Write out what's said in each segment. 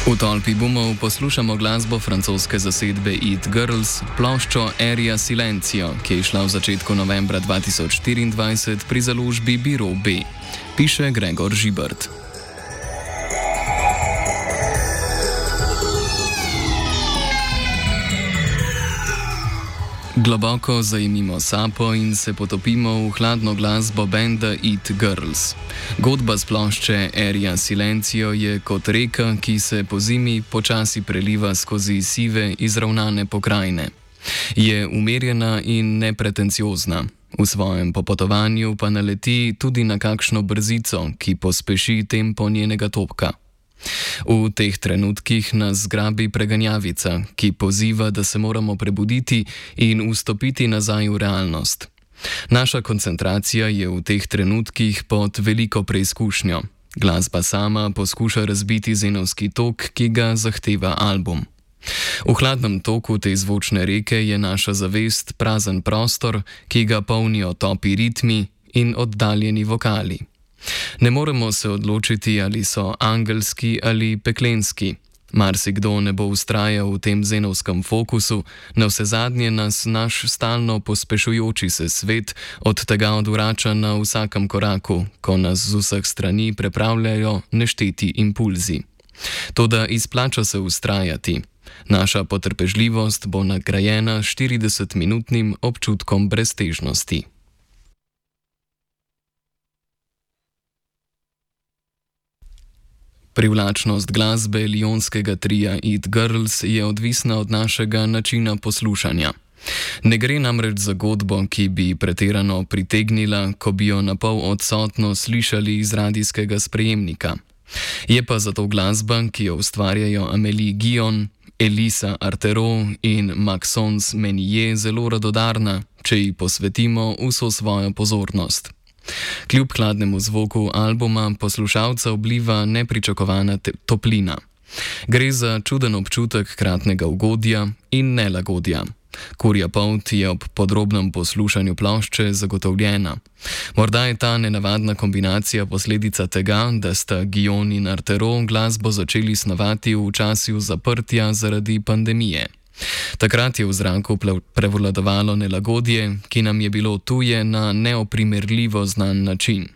V tolpi boomov poslušamo glasbo francoske zasedbe It Girls, ploščo Aria Silencio, ki je šla v začetku novembra 2024 pri založbi Biro B. Piše Gregor Žibert. Globoko zajemimo sapo in se potopimo v hladno glasbo benda It Girls. Godba z plošče Aria Silencio je kot reka, ki se po zimi počasi preliva skozi sive, izravnane pokrajine. Je umirjena in nepretenciozna. V svojem popotovanju pa naleti tudi na kakšno brzico, ki pospeši tempo njenega topka. V teh trenutkih nas zgrabi preganjavica, ki poziva, da se moramo prebuditi in vstopiti nazaj v realnost. Naša koncentracija je v teh trenutkih pod veliko preizkušnjo. Glasba sama poskuša razbiti zenovski tok, ki ga zahteva album. V hladnem toku te zvočne reke je naša zavest prazen prostor, ki ga polnijo topi ritmi in oddaljeni vokali. Ne moremo se odločiti, ali so angelski ali peklenski. Marsikdo ne bo vztrajal v tem zenovskem fokusu, navsezadnje nas naš stalno pospešujoči se svet od tega odvrača na vsakem koraku, ko nas z vseh strani prepravljajo nešteti impulzi. Toda izplača se vztrajati. Naša potrpežljivost bo nagrajena 40-minutnim občutkom breztežnosti. Privlačnost glasbe lionskega tria It Girls je odvisna od našega načina poslušanja. Ne gre namreč za godbo, ki bi pretirano pritegnila, ko bi jo napol odsotno slišali iz radijskega sprejemnika. Je pa zato glasba, ki jo ustvarjajo Amélie Guillon, Elisa Artero in Maxence Menier, zelo radodarna, če ji posvetimo vso svojo pozornost. Kljub hladnemu zvoku albuma poslušalca obliva nepričakovana toplina. Gre za čuden občutek kratnega ugodja in nelagodja. Kurja polt je ob podrobnem poslušanju plošče zagotovljena. Morda je ta nenavadna kombinacija posledica tega, da sta Guillon in Artero glasbo začeli snovati v času zaprtja zaradi pandemije. Takrat je v zraku prevladovalo nelagodje, ki nam je bilo tuje na neoprimerljivo znan način.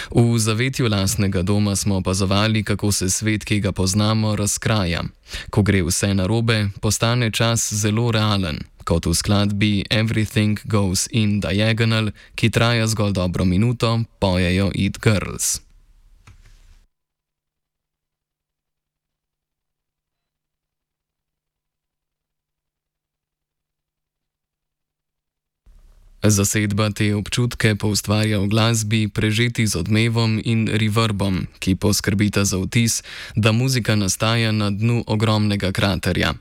V zavetju lastnega doma smo opazovali, kako se svet, ki ga poznamo, razkraja. Ko gre vse narobe, postane čas zelo realen, kot v skladbi Everything Goes in Diagonal, ki traja zgolj dobro minuto, pojejo It Girls. Zasedba te občutke poustvarja v glasbi, prežeti z odmevom in reverbom, ki poskrbita za vtis, da muzika nastaja na dnu ogromnega kraterja.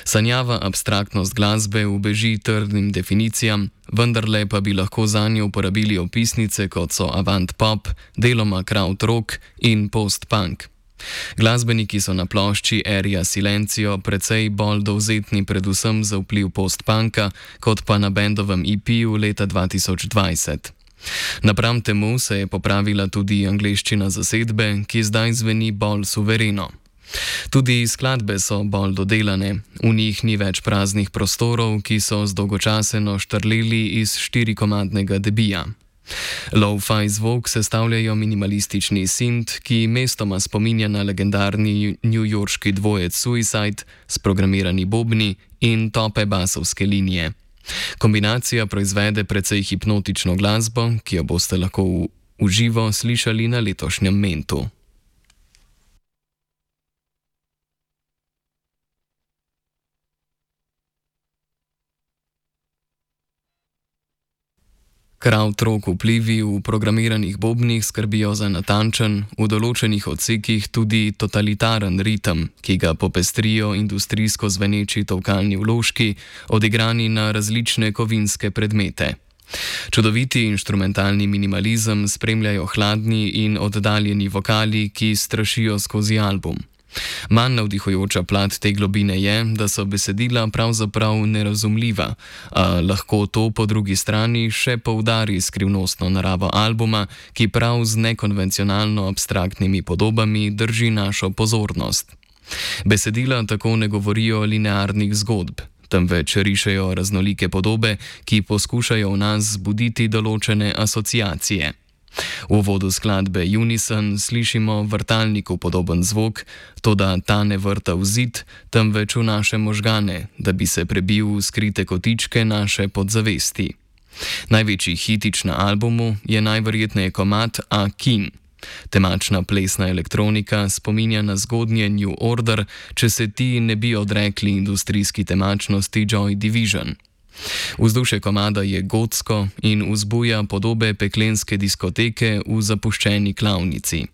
Sanjava abstraktnost glasbe ubeži trdnim definicijam, vendarle pa bi lahko zanjo uporabili opisnice, kot so avant pop, deloma krautrock in post-punk. Glasbeniki so na plošči Aria Silencio precej bolj dovzetni predvsem za vpliv post-punka, kot pa na bendovem EP-ju leta 2020. Napram temu se je popravila tudi angleščina zasedbe, ki zdaj zveni bolj suvereno. Tudi skladbe so bolj dodelane, v njih ni več praznih prostorov, ki so zdolgočaseno štrleli iz 4-komadnega debija. Lo-fi zvok sestavljajo minimalistični synth, ki mestoma spominja na legendarni newyorški dvojec Suicide, sprogramirani bobni in tope basovske linije. Kombinacija proizvede precej hipnotično glasbo, ki jo boste lahko v živo slišali na letošnjem Mentu. Krautrock vplivi v programiranih bobnih skrbijo za natančen, v določenih odsekih tudi totalitaren ritem, ki ga popestrijo industrijsko zveneči tolkalni vložki, odigrani na različne kovinske predmete. Čudoviti inštrumentalni minimalizem spremljajo hladni in oddaljeni vokali, ki strašijo skozi album. Manj navdihujoča plat te globine je, da so besedila pravzaprav nerazumljiva, a lahko to po drugi strani še poudari skrivnostno naravo albuma, ki prav z nekonvencionalno abstraktnimi podobami drži našo pozornost. Besedila tako ne govorijo linearnih zgodb, temveč rišejo raznolike podobe, ki poskušajo v nas zbuditi določene asociacije. V uvodu skladbe Unison slišimo vrtalniku podoben zvok, toda ta ne vrta v zid, temveč v naše možgane, da bi se prebil v skrite kotičke naše podzavesti. Največji hitič na albumu je najverjetneje komad A King. Temačna plesna elektronika spominja na zgodnje New Order, če se ti ne bi odrekli industrijski temačnosti Joy Division. Vzdušje komada je gotsko in vzbuja podobe peklenske diskoteke v zapuščeni klavnici.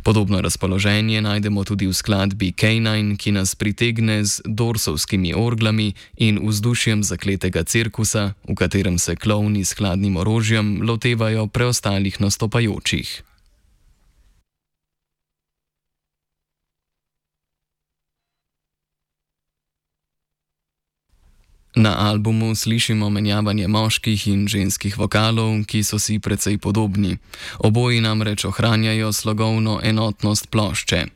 Podobno razpoloženje najdemo tudi v skladbi K9, ki nas pritegne z dorsovskimi orglami in vzdušjem zakletega cirkusa, v katerem se klovni s hladnim orožjem lotevajo preostalih nastopajočih. Na albumu slišimo menjavanje moških in ženskih vokalov, ki so si precej podobni. Oboji namreč ohranjajo slogovno enotnost plošče.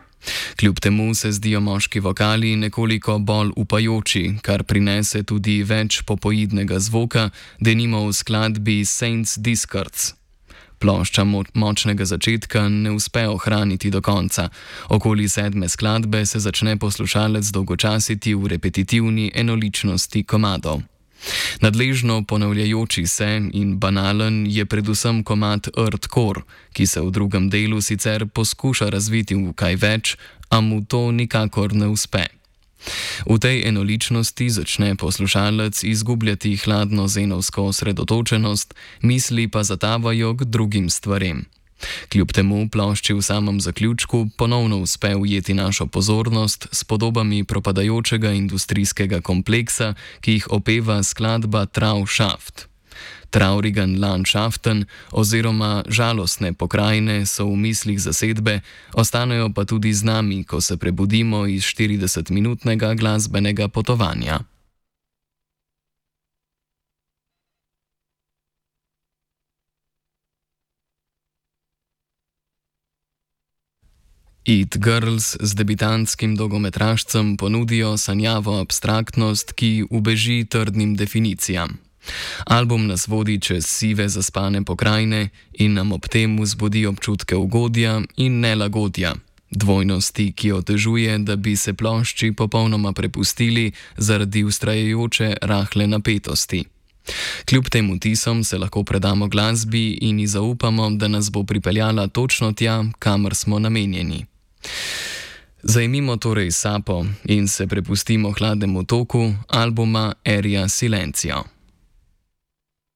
Kljub temu se zdijo moški vokali nekoliko bolj upajoči, kar prinese tudi več popoidnega zvoka, denimo v skladbi Saints Discards. Plošča močnega začetka ne uspe ohraniti do konca. Okoli 7. skladbe se začne poslušalec dolgočasiti v repetitivni enoličnosti komadov. Nadležno ponavljajoči se in banalen je predvsem komad Earthcore, ki se v drugem delu sicer poskuša razviti v kaj več, a mu to nikakor ne uspe. V tej enoličnosti začne poslušalec izgubljati hladno zenovsko osredotočenost, misli pa zatavajo k drugim stvarem. Kljub temu plošči v samem zaključku ponovno uspe ujeti našo pozornost s podobami propadajočega industrijskega kompleksa, ki jih opeva skladba Trauschaft. Traurigen Landschaften oziroma žalostne pokrajine so v mislih zasedbe, ostanejo pa tudi z nami, ko se prebudimo iz 40-minutnega glasbenega potovanja. It Girls z debitantskim dolgometražcem ponudijo sanjavo abstraktnost, ki ubeži trdnim definicijam. Album nas vodi čez sive zaspane pokrajine in nam ob tem vzbudi občutke ugodja in nelagodja, dvojnosti, ki otežuje, da bi se plošči popolnoma prepustili zaradi vztrajajoče rahle napetosti. Kljub tem vtisom se lahko predamo glasbi in ji zaupamo, da nas bo pripeljala točno tja, kamor smo namenjeni. Zajmimo torej sapo in se prepustimo hladnemu toku albuma Aria Silencio.